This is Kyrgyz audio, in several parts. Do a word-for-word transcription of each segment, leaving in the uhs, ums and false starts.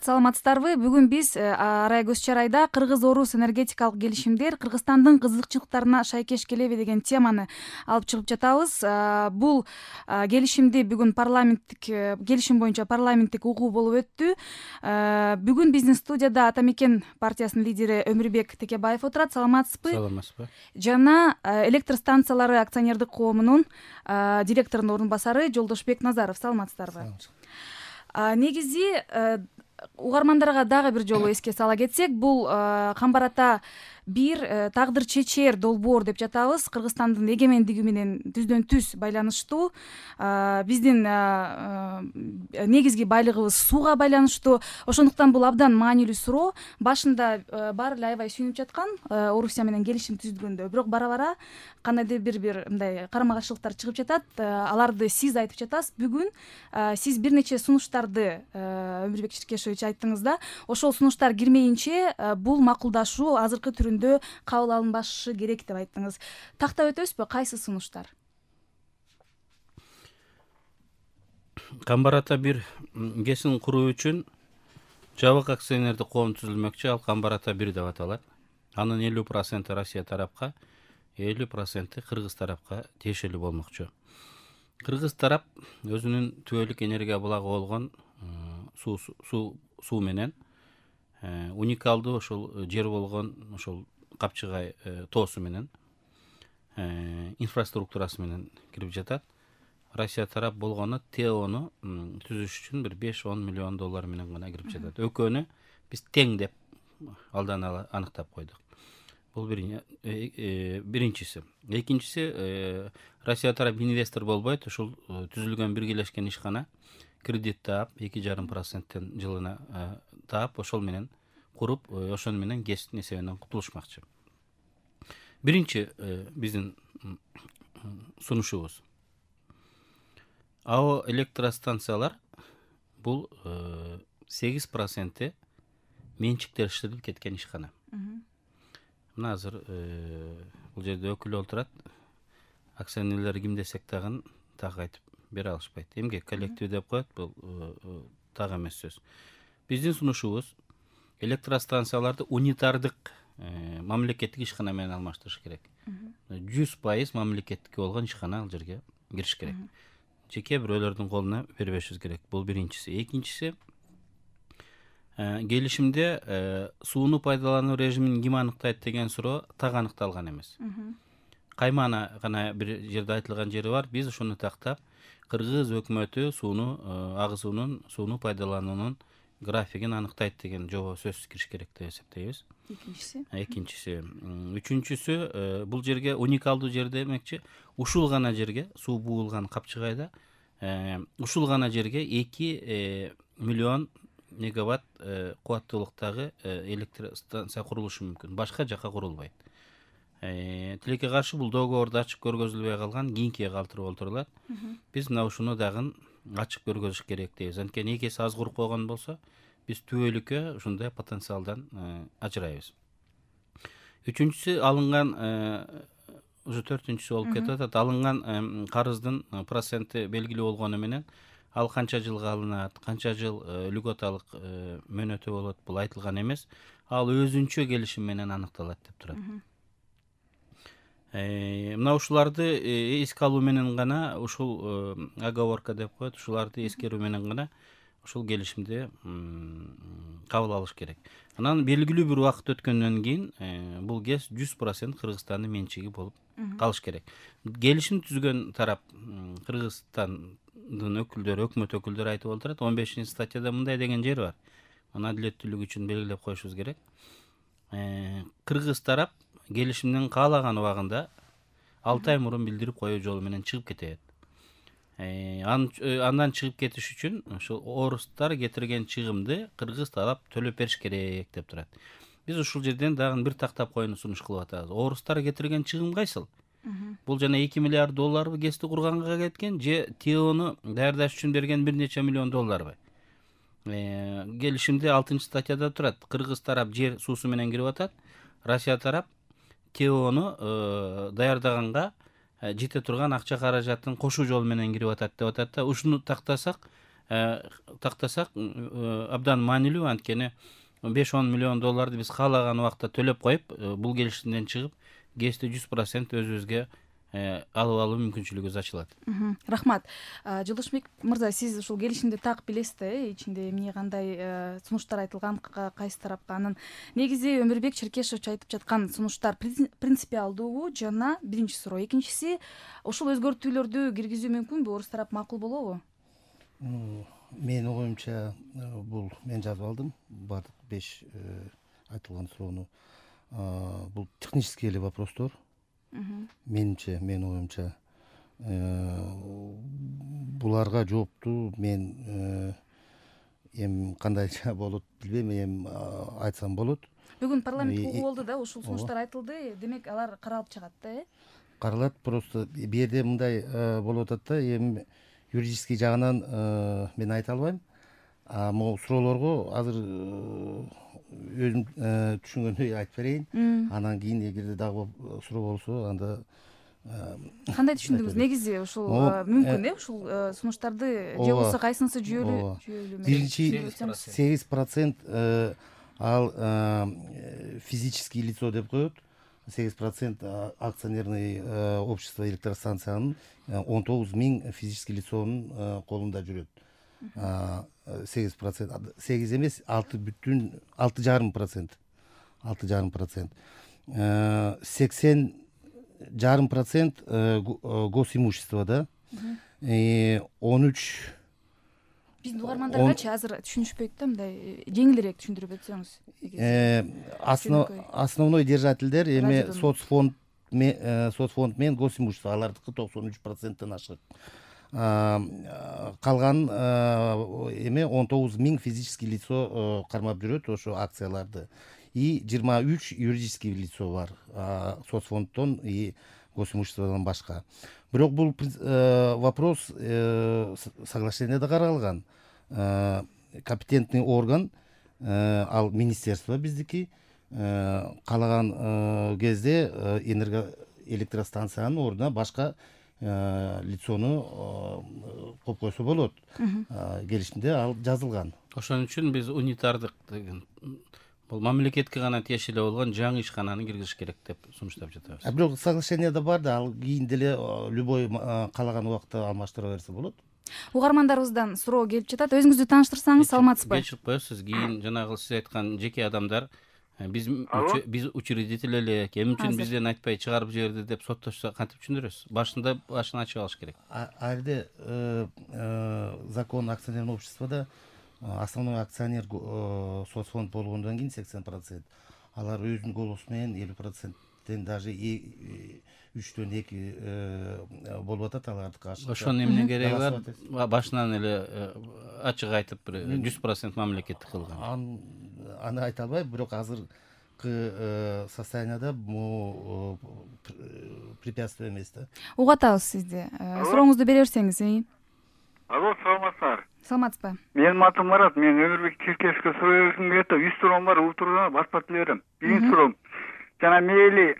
Саламатсыздарбы? Бүгүн биз Арай көз чарайда Кыргыз-Орус энергетикалык келишимдер Кыргызстандын кызыкчылыктарына шайкеш келеби деген теманы алып чыгып жатабыз. Бул келишимди бүгүн парламенттик келишим боюнча парламенттик угуу болуп өттү. Бүгүн биздин студияда Ата Мекен партиясынын лидери Өмүрбек Текебаев отурат. Саламатсызбы? Саламатсызбы. Жана электр станциялары акционердик коомунун директорунун орун басары Жолдошбек Назаров. Саламатсыздарбы? Негизи угармандарга дагы бир жолу эске сала кетсек, бул Камбар Ата бир тагдыр чечер долбоор деп жатабыз. Кыргызстандын эгемендиги менен түздөн түз байланыштуу. Биздин негизги байлыгыбыз сууга байланыштуу. Ошондуктан бул абдан маанилүү суроо. Башында баары эле аябай сүйүнүп жаткан Орусия менен келишим түзүлгөндө, бирок бара-бара кандайдыр бир бир мындай карама-каршылыктар чыгып жатат. Аларды сиз айтып жатасыз. Бүгүн сиз бир нече сунуштарды Өмүрбек Черкешевич айттыңыз да. Ошол сунуштар кирмейинче бул макулдашуу азыркы түрүндө кабыл алынбашы керек деп айттыңыз. Тактап өтөбүзбү? Кайсы сунуштар? Камбар Ата бир кесин куруу үчүн жабык акционердик коом түзүлмөкчү. Ал Камбар Ата бир деп аталат. Анын элүү проценти Россия тарапка, элүү проценти Кыргыз тарапка тиешелүү болмокчу. Кыргыз тарап өзүнүн түбөлүк энергия булагы болгон суу суу суу менен уникалдуу ошол жер болгон ошол Капчыгай тоосу менен инфраструктурасы менен кирип жатат. Россия тарап болгону ТЭОну түзүш үчүн бир беш он миллион доллар менен гана кирип жатат. Экөөнү биз тең деп алдан ала аныктап койдук. Бул биринчиси. Экинчиси, Россия тарап инвестор болбойт. Ушул түзүлгөн биргелешкен ишкана кредит таап, эки жарым проценттен жылына таап, ошол менен куруп, ошон менен ГЭСтин эсебинен кутулушмакчы. Биринчи биздин сунушубуз. АО электростанциялар бул сегиз проценти менчиктештирилип кеткен ишкана. Мына азыр бул жерде өкүл отурат. Акционерлер ким десек дагы так айтып бере алышпайт. Эмгек коллектив деп коет, бул так эмес сөз. Биздин сунушубуз электростанцияларды унитардык мамлекеттик ишкана менен алмаштырыш керек. жүз пайыз мамлекеттик болгон ишкана ал жерге кириш керек. Жеке бирөөлөрдүн колуна бербешибиз керек. Бул биринчиси. Экинчиси, келишимде сууну пайдалануу режимин ким аныктайт деген суроо так аныкталган эмес. Каймана гана бир жерде айтылган жери бар. Биз ошону тактап, Кыргыз өкмөтү сууну агызуунун, сууну пайдалануунун графигин аныктайт деген жобо сөзсүз кириш керек деп эсептейбиз. Экинчиси. Экинчиси. Үчүнчүсү, бул жерге уникалдуу жер демекчи, ушул гана жерге суу буулган Капчыгайда ушул гана жерге эки миллион мегаватт кубаттуулуктагы электростанция курулушу мүмкүн. Башка жака курулбайт. Тилекке каршы бул договорду ачык көргөзүлбөй калган, кийинкиге калтырып отурулат. Биз мына ушуну дагы ачык көргөзүш керек дейбиз. Анткени экеси аз куруп койгон болсо, биз түбөлүккө ушундай потенциалдан ажырайбыз. Үчүнчүсү, алынган уже төртүнчүсү болуп кетип атат. Алынган карыздын проценти белгилүү болгону менен ал канча жылга алынат, канча жыл льготалык мөөнөтү болот, бул айтылган эмес. Ал өзүнчө келишим менен аныкталат деп турат. Мына ушуларды эске алуу менен гана, ушул оговорка деп коет, ушуларды эскерүү менен гана ушул келишимди кабыл алыш керек. Анан белгилүү бир убакыт өткөндөн кийин бул ГЭС жүз процент Кыргызстандын менчиги болуп калыш керек. Келишим түзгөн тарап Кыргызстандын өкүлдөрү, өкмөт өкүлдөрү айтып отурат. он бешинчи статьяда мындай деген жер бар. Аны адилеттүүлүк үчүн белгилеп коюшубуз керек. Кыргыз тарап келишимдин каалаган убагында алты ай мурун билдирип коюу жолу менен чыгып кетет. Андан чыгып кетиш үчүн ошол орустар кетирген чыгымды Кыргыз тарап төлөп бериш керек деп турат. Биз ушул жерден дагы бир тактап коюуну сунуш кылып атабыз. Орустар кетирген чыгым кайсыл? Бул жана эки миллиард долларбы ГЭСти курганга кеткен, же ТЭОну даярдаш үчүн берген бир нече миллион долларбы? Келишимде алтынчы статьяда турат. Кыргыз тарап жер суусу менен кирип атат. Россия тарап ТЭОну даярдаганга жете турган акча каражатын кошуу жол менен кирип атат деп атат да. Ушуну тактасак, тактасак абдан маанилүү, анткени беш он миллион долларды биз каалаган убакта төлөп коюп, бул келишимден чыгып гэсти жүз процент өзүбүзгө алып алуу мүмкүнчүлүгүбүз ачылат. Рахмат. Жолдошбек мырза, сиз ушул келишимди так билесиз да, ичинде эмне кандай сунуштар айтылган, кайсы тарапка. Анын негизи Өмүрбек Черкешович айтып жаткан сунуштар принципиалдуубу жана биринчи суроо. Экинчиси, ушул өзгөртүүлөрдү киргизүү мүмкүнбү? Орус тарап макул болобу? Менин оюмча бул мен жазып алдым баардык беш айтылган суроону. Бул технический эле вопростор. Менимче, менин оюмча буларга жоопту мен эми кандайча болот билбейм, эми айтсам болот. Бүгүн парламент угуу болду да, ушул сунуштар айтылды. Демек алар каралып чыгат да, э? Каралат, просто бу жерде мындай болуп атат да, эми юридический жагынан мен айта албайм. А могу суроолорго азыр өзүм түшүнгөндөй айтып берейин. Анан кийин эгерде дагы суроо болсо, анда кандай түшүндүңүз? Негизи ушул мүмкүн э, ушул сунуштарды же болбосо кайсынысы жүйөлүү? Жүйөлүү. Биринчи сегиз процент ал физический лицо деп коет. сегиз процент акционерный общество электростанциянын он тогуз миң физический лицонун колунда жүрөт. сегиз процент, сегиз эмес, алты бүтүн алты жарым процент. алты жарым процент. сексен жарым процент госимущество да. он үч биздин угармандаргачы азыр түшүнүшпөйт да, мындай жеңилирээк түшүндүрүп өтсөңүз. Основной держательдер эми соцфонд соцфонд менен госимущество, алардыкы токсон үч проценттен ашык. Калган эме он тогуз миң физический лицо кармап жүрөт ошо акцияларды. И жыйырма үч юридический лицо бар, соцфонддон и госимуществодон башка. Бирок бул вопрос соглашениеде каралган. Компетентный орган ал министерство биздики, каалаган кезде энергоэлектростанциянын ордуна башка лицону коюп койсо болот. Келишимде ал жазылган. Ошон үчүн биз унитардык деген бул мамлекетке гана тиешелүү болгон жаңы ишкананы киргизиш керек деп сунуштап жатабыз. Бирок соглашениеде бар да, ал кийин деле любой каалаган убакта алмаштыра берсе болот. Угармандарыбыздан суроо келип жатат. Өзүңүздү тааныштырсаңыз, саламатсызбы? Кечирип коесуз, кийин жанагы сиз айткан жеке адамдар биз биз учредитель элек, эмне үчүн бизден айтпай чыгарып жиберди деп соттошсо кантип түшүндүрөсүз? Башында башын ачып алыш керек. Ал жерде закон акционерного обществода основной акционер соцфонд болгондон кийин сексен процент. Алар өзүнүн голосу менен элүү проценттен даже үчтөн эки болуп атат алардыкы ашык. Ошонун эмне кереги бар? Башынан эле ачык айтып бир жүз процент мамлекеттик кылган. Аны айта албайм, бирок азыркы состоянияда бул препятствие эмес да. Угатабыз сизди. Сурооңузду бере берсеңиз. Алло, саламатсыздар. Саламатсызбы? Менин атым Марат, мен Өмүрбек Черкешовке суроо бергим келет. үч суроом бар, утурууна баспат берем. Биринчи суроом. Жана мейли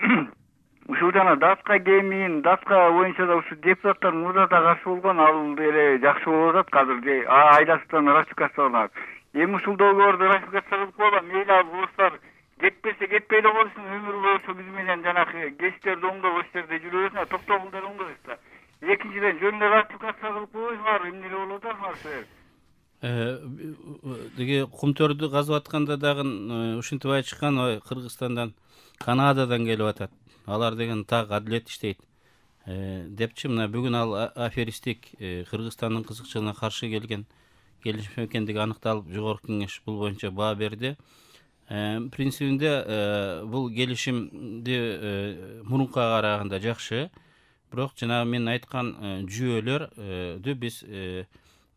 ушул жана даска кемин, даска боюнча да ушул депутаттар мурда да каршы болгон, ал деле жакшы болуп атат азыр. Айдастан ратификацияланат. Эми ушул договорду ратификация кылып коелу, мейли ал орустар кетпесе кетпей эле койсун, өмүр бою биз менен жанагы гестерди оңдоп ошол жерде жүрө берсин, токтогулдар оңдойбузда. Экинчиден жөн эле ратификация кылып койсуңар, эмне эле болуп атасыңар силер? Деге кумтөрдү казып атканда дагы ушинтип айтышкан, ой Кыргызстандан, Канададан келип атат. Алар деген так адилет иштейт депчи. Мына бүгүн ал аферистик Кыргызстандын кызыкчылыгына каршы келген келишим экендиги аныкталып, жогорку кеңеш бул боюнча баа берди. Принцибинде бул келишимди мурункуга караганда жакшы, бирок жана мен айткан жүйөлөрдү биз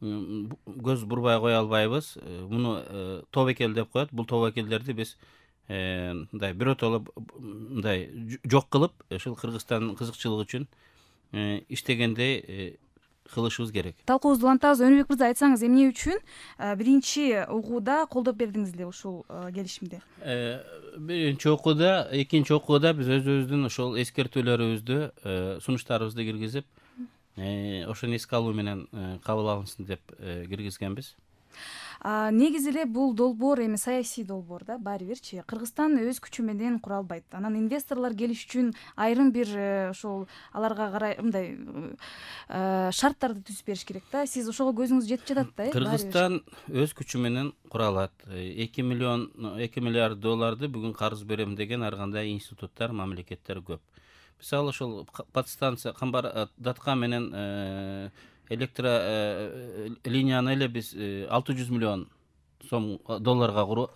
көз бурбай кое албайбыз. Муну тобокел деп коет. Бул тобокелдерди биз мындай биротоло мындай жок кылып, ушул Кыргызстандын кызыкчылыгы үчүн иштегендей кылышыбыз керек. Талкуубузду улантабыз. Өнүбек мырза, айтсаңыз, эмне үчүн биринчи угууда колдоп бердиңиз эле ушул келишимди? Биринчи окууда, экинчи окууда биз өзүбүздүн ошол эскертүүлөрүбүздү, сунуштарыбызды киргизип, ошону эске алуу менен кабыл алынсын деп киргизгенбиз. Негизи эле бул долбоор эми саясий долбоор да, баары бирчи Кыргызстан өз күчү менен кура албайт. Анан инвесторлор келиш үчүн айрым бир ошол аларга карай мындай шарттарды түзүп бериш керек да. Сиз ошого көзүңүз жетип жатат да? Кыргызстан өз күчү менен кура алат. эки миллион эки миллиард долларды бүгүн карыз берем деген ар кандай институттар, мамлекеттер көп. Мисалы ошол подстанция Камбар Датка менен электро линияны эле биз алты жүз миллион сом долларга куруп,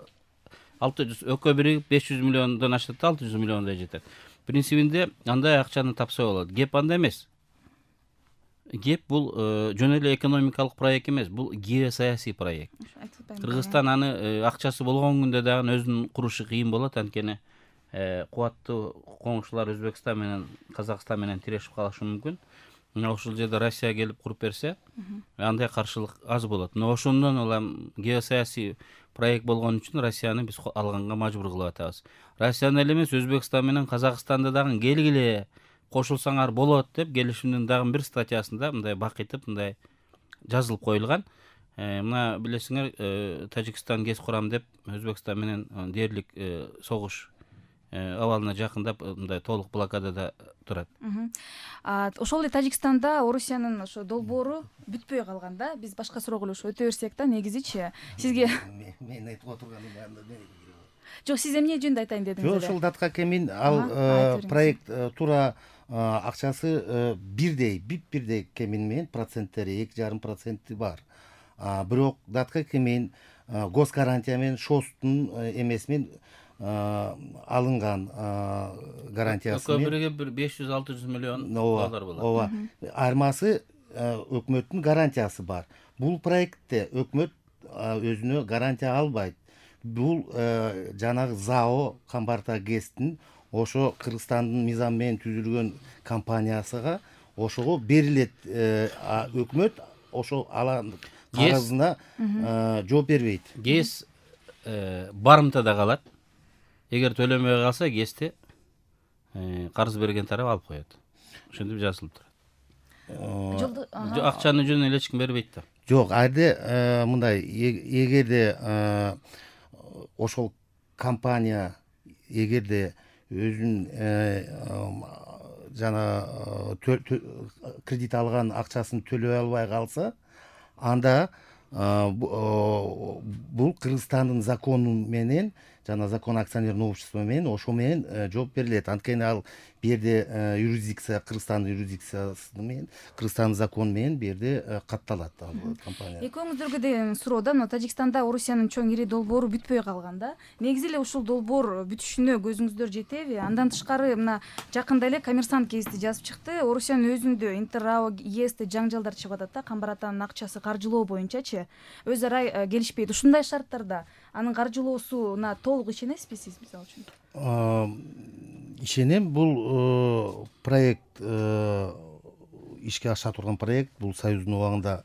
алты жүз экөө бири беш жүз миллиондон ашат, алты жүз миллиондой жетет. Принцибинде андай акчаны тапса болот. Кеп анда эмес. Кеп бул жөн эле экономикалык проект эмес, бул геосаясий проект. Кыргызстан аны акчасы болгон күндө дагы өзүнүн курушу кыйын болот, анткени кубаттуу коңшулар Өзбекстан менен Казакстан менен тирешип калышы мүмкүн. Ошол жерде Россия келип куруп берсе, андай каршылык аз болот. Но ошондон улам геосаясий проект болгон үчүн Россияны биз алганга мажбур кылып атабыз. Россияны эле эмес, Өзбекстан менен Казакстанды дагы келгиле, кошулсаңар болот деп келишимдин дагы бир статьясында мындай бакытып мындай жазылып коюлган. Мына билесиңер, Тажикстан ГЭС курам деп Өзбекстан менен дээрлик согуш абалына жакындап мындай толук блокадада турат. Ошол эле Тажикстанда Орусиянын ошо долбоору бүтпөй калган да. Биз башка суроо эле өтө берсек да, негизичи сизге мен айтып отурганым баында. Жок, сиз эмне жөнүндө айтайын дедиңиз эле? Жок, ошол датка кемин ал проект тура акчасы бирдей, бип бирдей кемин менен проценттери эки жарым проценти бар. Бирок датка кемин гос гарантия менен шостун эмесимен алынган гарантиясы менен экөө бириге беш жүз алты жүз миллион доллар болот. Ооба. Айырмасы өкмөттүн гарантиясы бар. Бул проектте өкмөт өзүнө гарантия албайт. Бул жанагы ЗАО Камбарта ГЭСтин ошо Кыргызстандын мыйзамы менен түзүлгөн компаниясыга ошого берилет. Өкмөт ошол алан карызына жооп бербейт. ГЭС барымтада калат. Эгер төлөмөй калса, ГЭСти карыз берген тарап алып коет. Ошентип жазылып турат. Акчаны жөн эле эч ким бербейт да. Жок, айда мындай, эгерде ошол компания эгерде өзүнүн жана кредит алган акчасын төлөй албай калса, анда бул Кыргызстандын закону менен жана закон акционерное общество менен ошо менен жооп берилет. Анткени ал берде юрисдикция, Кыргызстандын юрисдикциясы менен, Кыргызстандын закону менен берде катталат ал компания. Экөөңүздөргө деген суроо да, мына Тажикстанда Орусиянын чоң ири долбоору бүтпөй калган да. Негизи эле ушул долбоор бүтүшүнө көзүңүздөр жетеби? Андан тышкары мына жакында эле Коммерсант гезити жазып чыкты. Орусиянын өзүндө Интеррао ЕСте жаңжалдар чыгып атат да, Камбар Атанын акчасы каржылоо боюнчачы өз ара келишпейт. Ушундай шарттарда анын каржылоосуна толук ишенесизби сиз, мисалы үчүн? Ишенем, бул проект ишке аша турган проект, бул Союздун убагында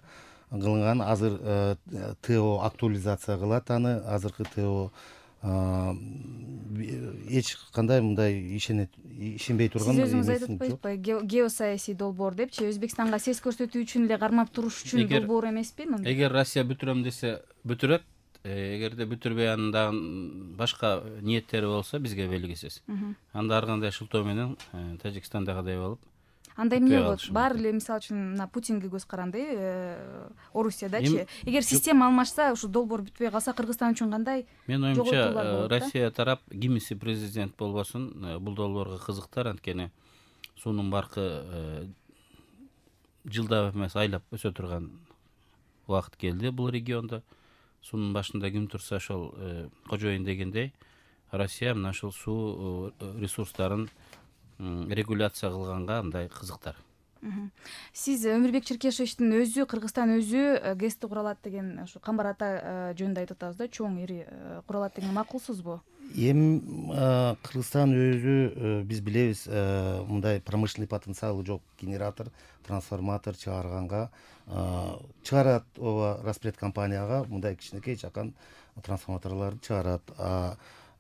кылынган. Азыр ТО актуализация кылат аны, азыркы ТО эч кандай мындай ишенбей турган. Сиз өзүңүз айтып атпайсызбы, геосаясий долбоор депчи, Өзбекстанга сес көрсөтүү үчүн эле кармап туруш үчүн долбоор эмеспи? Эгер Россия бүтүрөм десе бүтүрөт, эгерде бүтүрбөй анын башка ниеттери болсо бизге белгисиз. Анда ар кандай шылтоо менен Тажикстандагыдай болуп. Анда эмне болот? Баары эле мисалы үчүн Путинге көз каранды, Орусиядачы. Эгер система алмашса, ушу долбоор бүтпөй калса, Кыргызстан үчүн кандай? Мен оюмча, Россия тарап кимиси президент болбосун, бул долбоорго кызыктар, анткени суунун баркы жылдап эмес айлап өсө турган убакыт келди бул региондо. Суунун башында ким турса ошол кожоюн дегендей, Россия мына ошол суу ресурстарын регуляция кылганга мындай кызыктар. Сиз Өмүрбек Черкешевичтин өзү, Кыргызстан өзү ГЭСти куралат деген, ошо Камбар Ата жөнүндө айтып атабыз да, чоң ири куралат деген макулсузбу? Эми Кыргызстан өзү биз билебиз, мындай промышленный потенциалы жок генератор, трансформатор чыгарганга чыгарат, ооба, распред компанияга мындай кичинекей чакан трансформаторлорду чыгарат.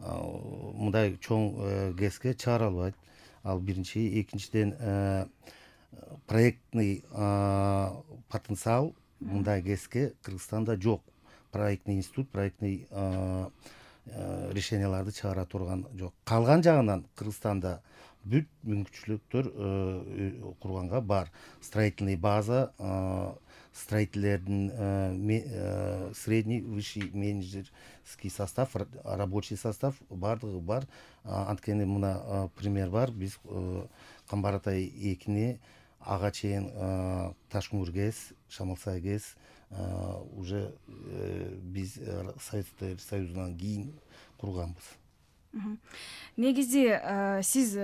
Мындай чоң ГЭСке чыгара албайт. Ал биринчи, экинчиден проектный потенциал мындай кеске Кыргызстанда жок. Проектный институт, проектный решенияларды чыгара турган жок. Калган жагынан Кыргызстанда бүт мүмкүнчүлүктөр курганга бар. Строительный база, строительдердин средний, высший менеджерский состав, рабочий состав бардыгы бар. Анткени мына пример бар. Биз Камбар Атай экини ага чейин Ташкүңүр ГЭС, Шамалсай ГЭС уже биз Советтер Союзунан кийин курганбыз. Негизи сиз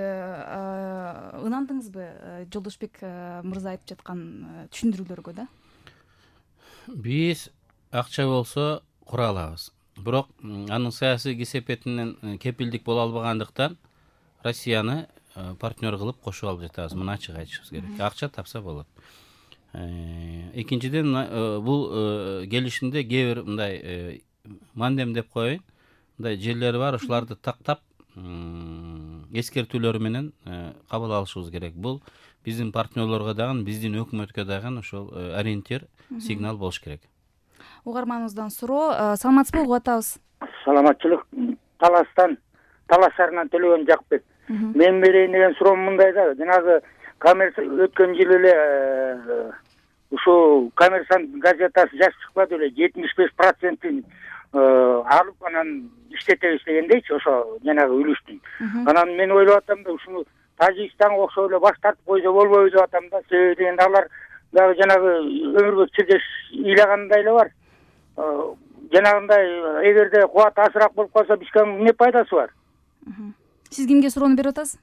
ынандыңызбы Жолдошбек мырза айтып жаткан түшүндүрүүлөргө да? Биз акча болсо кура алабыз. Бирок анын саясий кесепетинен кепилдик боло албагандыктан Россияны партнер кылып кошуп алып жатабыз. Муну ачык айтышыбыз керек. Акча тапса болот. Экинчиден, бул келишимде кээ бир мындай мандем деп коеюн, мындай жерлери бар, ошолорду тактап эскертүүлөр менен кабыл алышыбыз керек. Бул биздин партнерлорго дагы, биздин өкмөткө дагы ошол ориентир, сигнал болуш керек. Угарманыбыздан суроо, саламатсызбы, угуп атабыз. Саламатчылык. Таластан, Талас шаарынан Төлөгөн Жакбек. Мен берейин деген суроом мындай да, жанагы коммерция өткөн жылы эле ушу Коммерсант газетасы жаш чыкпады эле, жетимиш беш процентин алып анан иштетебиз дегендейчи, ошо жанагы үлүштүн. Анан мен ойлоп атам да, ушуну Тажикстанга окшой эле баш тартып койсо болбойбу деп атам да. Себеби дегенде алар дагы жанагы өмүрбөк чирдеш ыйлагандай эле бар. Жанагындай эгерде кубат азыраак болуп калса бизге эмне пайдасы бар? Сиз кимге суроону берип атасыз?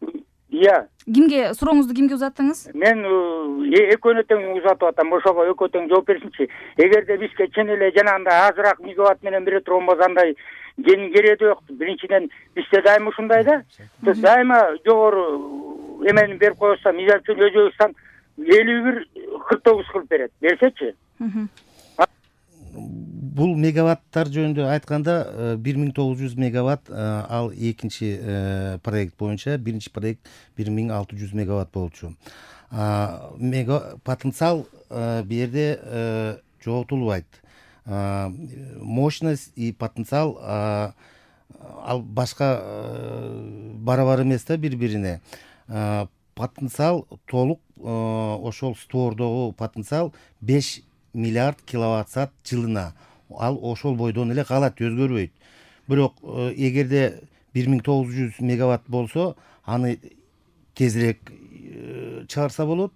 Иә. Кимге сурооңузду кимге узаттыңыз? Мен экөөнө тең узатып атам, ошого экөө тең жооп берсинчи. Эгерде бизге чын эле жанагындай азыраак мегаватт менен бере турган болсо андай кенин кереги жок. Биринчиден бизде дайыма ушундай да. Дайыма жогору эмени берип койсо, мисалы үчүн Өзбекстан элүү бир кырк тогуз кылып берет. Берсечи? Бул мегаваттар жөнүндө айтканда бир миң тогуз жүз мегаватт, ал экинчи проект боюнча, биринчи проект бир миң алты жүз мегаватт болчу. Потенциал бу жерде жоготулбайт. Мощность и потенциал ал башка барабар эмес да бири-бирине. Потенциал толук ошол створдогу потенциал беш миллиард киловатт саат жылына. Ал ошол бойдон эле калат, өзгөрбөйт. Бирок эгерде бир миң тогуз жүз мегаватт болсо, аны тезирээк чыгарса болот.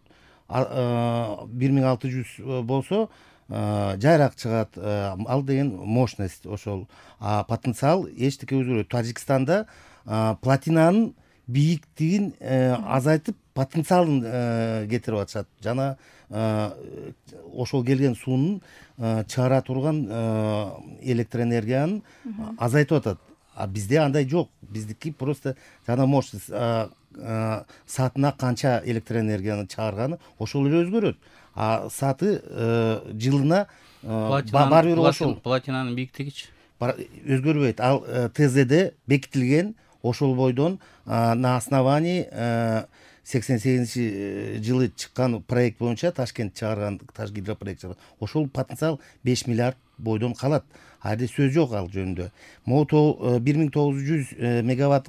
бир миң алты жүз болсо, жайраак чыгат. Ал деген мощность ошол. А потенциал эчтеке өзгөрбөйт. Тажикстанда платинанын бийиктигин азайтып, потенциалын кетирип атышат. Жана ошол келген суунун чыгара турган электроэнергиянын азайтып атат. А бизде андай жок. Биздики просто жана мощность саатына канча электроэнергияны чыгарганы ошол эле өзгөрөт. А сааты жылына бар бир ошол. Платинанын бийиктигичи өзгөрбөйт. Ал ТЗде бекитилген ошол бойдон на основании сексен сегизинчи жылы чыккан проект боюнча Ташкент чыгарган, Ташгидропроект чыгарган. Ошол потенциал беш миллиард бойдон калат. Айда сөз жок ал жөнүндө. Могу бир миң тогуз жүз мегаватт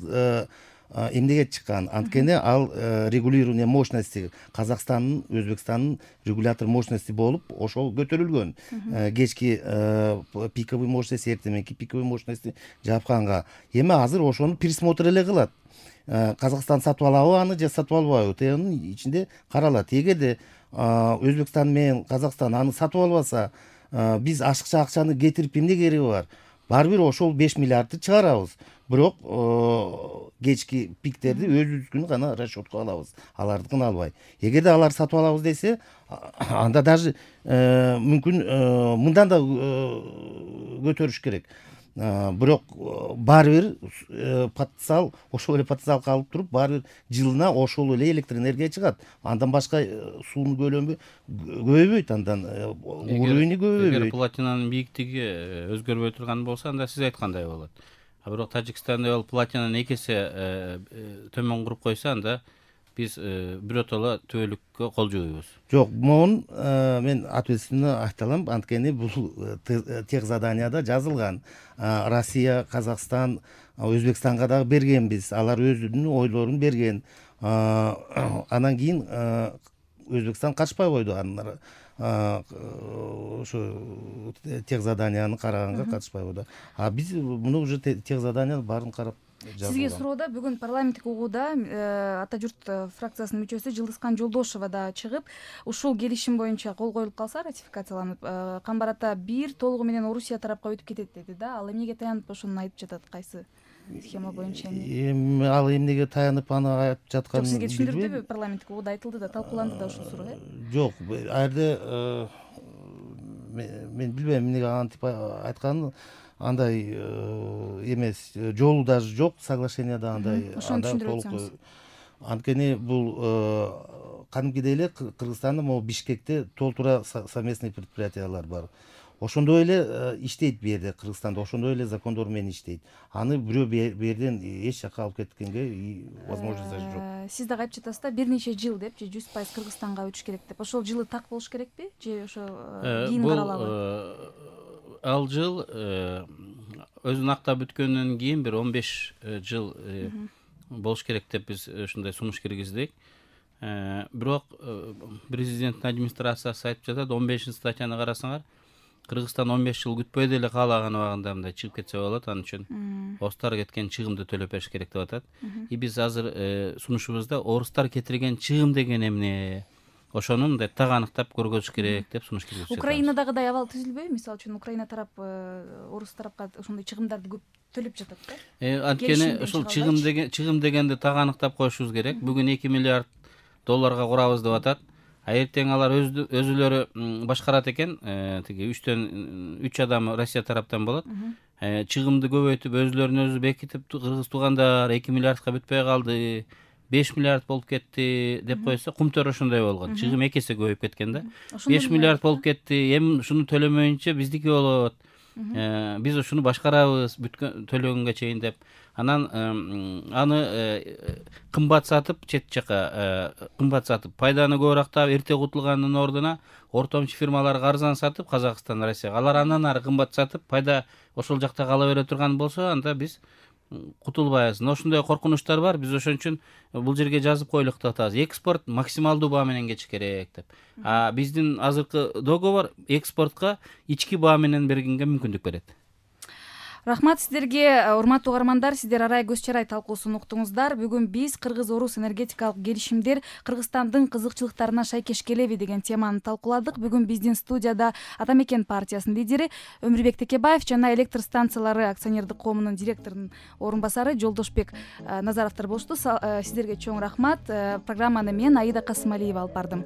эмнеге чыккан? Анткени ал регулирование мощности Казакстандын, Өзбекстандын регулятор мощности болуп, ошол көтөрүлгөн. Кечки пиковый мощность, эртеменки пиковый мощности жапканга. Эми азыр ошону пересмотр эле кылат. Казакстан сатып алабы аны же сатып албайбы? Тегинин ичинде каралат. Эгерде Өзбекстан менен Казакстан аны сатып албаса, биз ашыкча акчаны кетирип эмне кереги бар? Баары бир ошол беш миллиардты чыгарабыз. Бирок кечки пиктерди өзүбүздүкүн гана расчетко алабыз. Алардыкын албай. Эгерде алар сатып алабыз десе, анда даже мүмкүн мындан да көтөрүш керек. Бирок баары бир потенциал, ошол эле потенциал калып туруп, баары бир жылына ошол эле электроэнергия чыгат. Андан башка суунун көлөмү көбөйбөйт, андан уровени көбөйбөйт. Эгер платинанын бийиктиги өзгөрбөй турган болсо, анда сиз айткандай болот. А бирок Тажикстанда ал платинаны эки эсе төмөн куруп койсо, анда биз биротоло түбөлүккө кол жууйбуз. Жок, могун мен ответственно айта алам, анткени бул тех заданияда жазылган. Россия, Казакстан, Өзбекстанга дагы бергенбиз. Алар өзүнүн ойлорун берген. Анан кийин Өзбекстан качпай койду. Анан ошо тех заданияны караганга катышпай койду. А биз муну уже тех заданияны баарын карап жазылган. Сизге суроода бүгүн парламенттик угууда Ата журт фракциясынын мүчөсү Жылдызкан Жолдошова да чыгып, ушул келишим боюнча кол коюлуп калса, ратификацияланып, Камбар ата бир толугу менен Орусия тарапка өтүп кетет деди да. Ал эмнеге таянып ошону айтып жатат? Кайсы схема боюнча? Эми ал эмнеге таянып аны айтып жатканын сизге түшүндүрдүбү? Парламенттик угууда айтылды да, талкууланды да ушул суроо, э? Жок, ал жерде мен билбейм эмнеге антип айтканын. Андай эмес, жолу даже жок, соглашенияда андай. Ошону түшүндүрүп өтсөңүз. Анткени бул кадимкидей эле Кыргызстанда могу Бишкекте толтура совместный предприятиялар бар. Ошондой эле иштейт бу жерде, Кыргызстанда ошондой эле закондор менен иштейт. Аны бирөө бу жерден эч жака алып кеткенге возможность жок. Сиз дагы айтып жатасыз да, бир нече жыл деп, же жүз пайыз Кыргызстанга өтүш керек деп. Ошол жылы так болуш керекпи, же ошо кийин каралабы? Ал жыл өзүн актап бүткөндөн кийин бир он беш жыл болуш керек деп биз ушундай сунуш киргиздик. Бирок президенттин администрациясы айтып жатат, он бешинчи статьяны карасаңар, Кыргызстан он беш жыл күтпөй деле каалаган убагында мындай чыгып кетсе болот, ал үчүн орустар кеткен чыгымды төлөп бериш керек деп атат. И биз азыр сунушубузда орустар кетирген чыгым деген эмне, ошону мындай так аныктап көргөзүш керек деп сунуш киргизип жатабыз. Украинадагыдай абал түзүлбөйбү? Мисалы үчүн Украина тарап орус тарапка ошондой чыгымдарды көп төлөп жатат да. Анткени ошол чыгым деген чыгым дегенди так аныктап коюшубуз керек. Бүгүн эки миллиард долларга курабыз деп атат. А эртең алар өзүлөрү башкарат экен, тиги үчтөн үч адам Россия тараптан болот. Чыгымды көбөйтүп, өзүлөрүн өзү бекитип, кыргыз туугандар эки миллиардка бүтпөй калды, беш миллиард болуп кетти деп койсо, кумтөр ошондой болгон. Чыгым эки эсе көбөйүп кеткен да. беш миллиард болуп кетти, эми ушуну төлөмөйүнчө биздики болот. Биз ушуну башкарабыз бүткөн төлөгөнгө чейин деп. Анан аны кымбат сатып, чет жака кымбат сатып, пайданы көбүрөөк таап, эрте кутулгандын ордуна ортомчу фирмаларга арзан сатып, Казакстан, Россияга, алар андан ары кымбат сатып, пайда ошол жакта кала бере турган болсо, анда биз кутулбайбыз. Ошондой коркунучтар бар. Биз ошон үчүн бул жерге жазып коелук деп атабыз. Экспорт максималдуу баа менен кетиш керек деп. А биздин азыркы договор экспортко ички баа менен бергенге мүмкүндүк берет. Рахмат сиздерге, урматтуу угармандар, сиздер арай көз чарай талкуусун уктуңуздар. Бүгүн биз Кыргыз-Орус энергетикалык келишимдер Кыргызстандын кызыкчылыктарына шайкеш келеби деген теманы талкууладык. Бүгүн биздин студияда Ата Мекен партиясынын лидери Өмүрбек Текебаев жана электр станциялары акционердик коомунун директорунун орун басары Жолдошбек Назаровдор болушту. Сиздерге чоң рахмат. Программаны мен Аида Касымалиева алып бардым.